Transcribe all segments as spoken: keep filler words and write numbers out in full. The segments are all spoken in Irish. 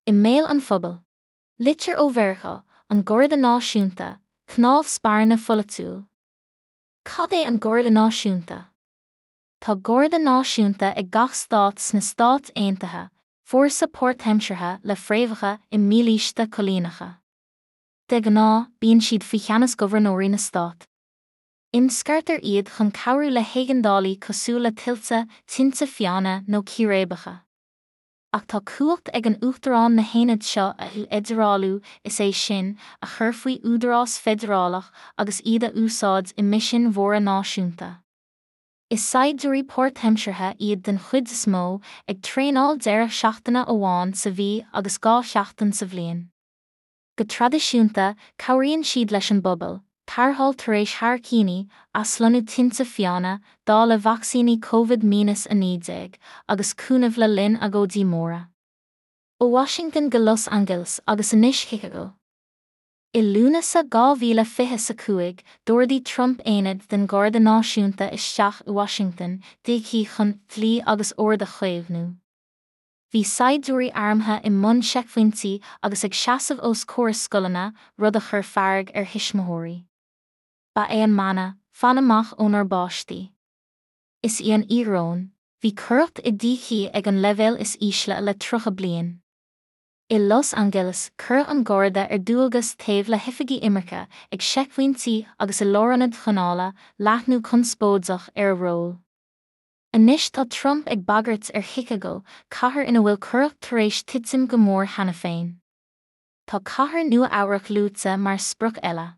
I mbéal an phobail. Litir ó Mheiriceá, an Garda Náisiúnta, cnámh spairne pholaitiúil. Cad é an Garda Náisiúnta? Tá Garda Náisiúnta ag gach stát sna Stáit Aontaithe, fórsa páirtaimseartha le fréamhacha i mílíste coilíneacha. De ghnáth, bíonn siad faoi cheannas gobharnóirí na stát. Imscartar iad chun cabhrú le héigeandálaí cosúil le tuilte, tinte fiáine nó círéibeacha. Ach tá cumhacht ag an Uachtarán na haonaid seo a fheidearálú, is é sin, a chur faoi údarás feidearálach agus iad a úsáid i misin mhóra náisiúnta. Is saighdiúirí páirtaimseartha iad den chuid is mó, ag traenáil deireadh seachtaine amháin sa mhí agus dhá sheachtain sa bhliain. Go traidisiúnta, cabhraíonn siad leis an bpobal, tarrtháil tar éis hairicíní, aslonnú tinte fiáine, dáileadh vacsaíní Covid míneas a naoi déag, agus cúnamh le linn agóidí móra. Ó Washington go Los Angeles agus anois Chicago. I Lúnasa dhá mhíle fiche a cúig, d'ordaigh Trump aonad den Gharda Náisiúnta isteach i Washington, D C chun dlí agus ord a chaomhnú. Bhí saighdiúirí armtha i mbun seicphointí agus ag seasamh os comhair scoileanna, rud a chuir fearg ar thuismitheoirí. Ba é an mana, fan amach ónár bpáistí. Is í an íoróin, bhí coireacht i D C ag an leibhéal is ísle le tríocha bliain. I Los Angeles, cuireadh an Garda ar dualgas taobh le hoifigí imirce, ag seicphointí agus i lárionaid choinneála, leathnú conspóideach ar a ról. Anois tá Trump ag bagairt ar Chicago, cathair ina bhfuil coireacht tar éis titim go mór cheana féin. Tá cathair Nua Eabhrac luaite mar sprioc eile.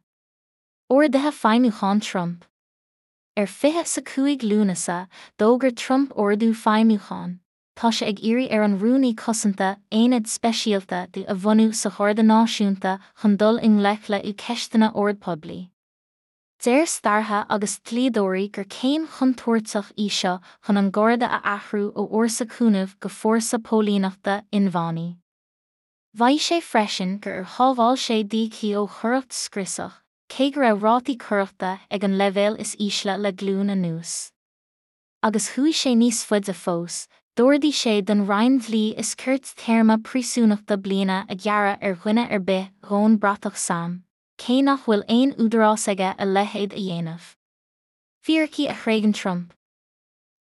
Orduithe feidhmiúcháin Trump. Ar fiche a cúig Lúnasa, d'fhógair Trump ordú feidhmiúcháin. Tá sé ag iarraidh ar an Rúnaí Cosanta aonad speisialta di a bhunú sa Gharda Náisiúnta chun dul i ngleic le ceisteanna ord poiblí. Deir staraithe agus dlíodóirí gur céim chontúirteach í seo chun an Garda a athrú ó fhórsa cúnaimh go fórsa póilíneachta inmheánaí. Mhaígh sé freisin gur shábháil sé D C ó choireacht scriosach, cé go raibh rátaí coireachta ag an leibhéal is ísle le glúin anuas. Agus chuaigh sé níos faide fós, d'ordaigh sé don Roinn Dlí is Cirt téarma príosúnachta bliana a ghearradh ar dhuine ar bith a dhónn bratach S A M, cé nach bhfuil aon údarás aige a leithéid a dhéanamh. Fíricí a thréigeann Trump.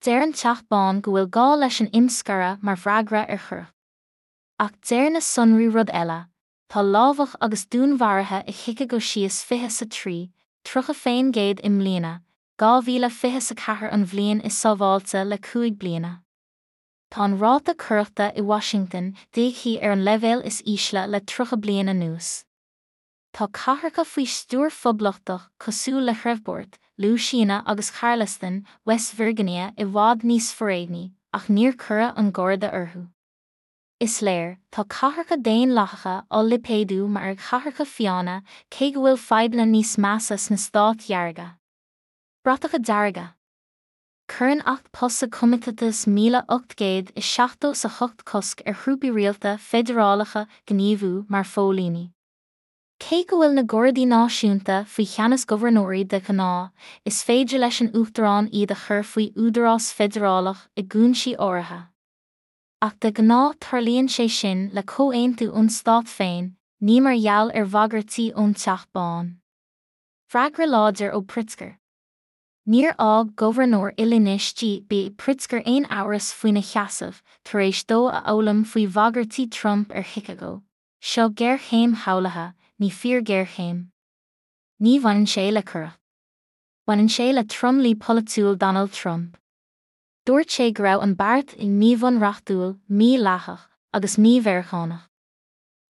Deir an Teach Bán go bhfuil gá leis an imscaradh mar bhfreagra ar choireacht. Ach deir na sonraí rud eile, tá lámhach agus dúnmharuithe i Chicago síos fiche sa trí, tríocha faoin gcéad i mbliana, dhá mhíle fiche a ceathair an bhliain is sábháilte le cúig bliana. Tá an ráta coireachta i Washington D C ar an leibhéal is ísle le tríocha bliain anuas. Tá cathracha faoi stiúir phoblachtach cosúil le Shreveport, Louisiana agus Charleston, West Virginia i bhfad níos foréigní, ach níor cuireadh an Garda orthu. Is léir, tá cathracha daonlathacha á lipéadú mar chathracha fiáine cé go bhfuil fadhbanna níos measa sna stáit dhearga. Bratacha dearga. Cuireann Acht Posse Comitatus míle ocht gcéad is seachtó a hocht cosc ar thrúpaí rialta feidearálacha gníomhú mar phóilíní. Cé go bhfuil na Gardaí Náisiúnta faoi cheannas gobharnóirí de ghnáth, is féidir leis an Uachtarán iad a chur faoi údarás feidearálach i gcúinsí áirithe. Ach de ghnáth tarlaíonn sé sin le comhaontú ón stát féin, ní mar gheall ar bhagairtí ón Teach Bán. Freagra láidir ó Pritzker. Níor fhág gobharnóir Illinois J B Pritzker aon amhras faoina sheasamh, tar éis dó a fhoghlaim faoi bhagairtí Trump ar Chicago. Seo géarchéim shamhlaithe, ní fíor-ghéarchéim. Ní bhaineann sé le coireacht. Baineann sé le tromluí polaitiúil Donald Trump. Dúirt sé go raibh an beart míbhunreachtúil, mídhleathach agus mí-Mheiriceánach.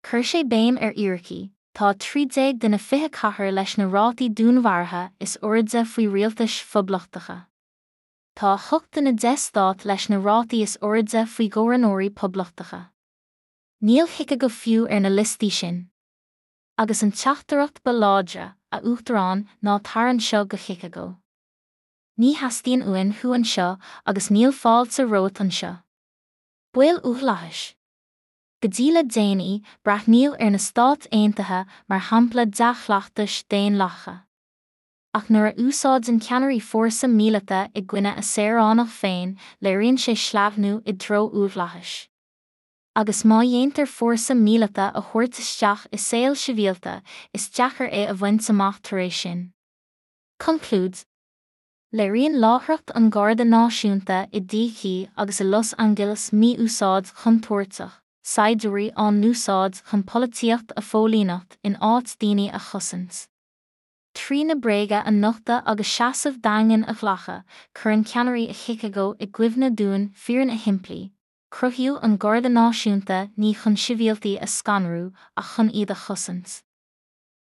Chuir sé béim ar fhíricí, tá trí déag de na fiche cathair leis na rátaí dúnmharaithe is airde faoi rialtais phoblachtacha. Tá a hocht de na deich stát leis na rátaí is airde faoi ghobharnóirí poblachtacha. Níl Chicago fiú ar na liostaí sin. Agus an teachtaireacht ba láidre, a Uachtaráin, ná tar anseo go Chicago. Ní theastaíonn uainn thú anseo agus níl fáilte romhat anseo. Baol uathlathais. Go dtí le déanaí, breathnaíodh ar na Stáit Aontaithe mar shampla dea-chleachtais daonlathacha. Ach nuair a úsáideann ceannairí fórsa míleata i gcoinne a saoránach féin, léiríonn sé sleamhnú i dtreo uathlathais. Agus má dhéantar fórsa míleata a thabhairt isteach i saol sibhialta, is deacair é a bhaint amach tar éis sin. Conclúid Léiríonn láithreacht an Gharda Náisiúnta i D.C. agus i Los Angeles mí-úsáid chontúirteach, saighdiúirí á n-úsáid chun polaitíocht a phóilíneacht in áit daoine a chosaint. Trí na bréaga a nochtadh agus seasamh daingean a ghlacadh, cuireann ceannairí Chicago i gcuimhne dúinn fírinne shimplí. Cruthaíodh an Garda Náisiúnta ní chun sibhialtaigh a scanrú ach chun iad a chosaint.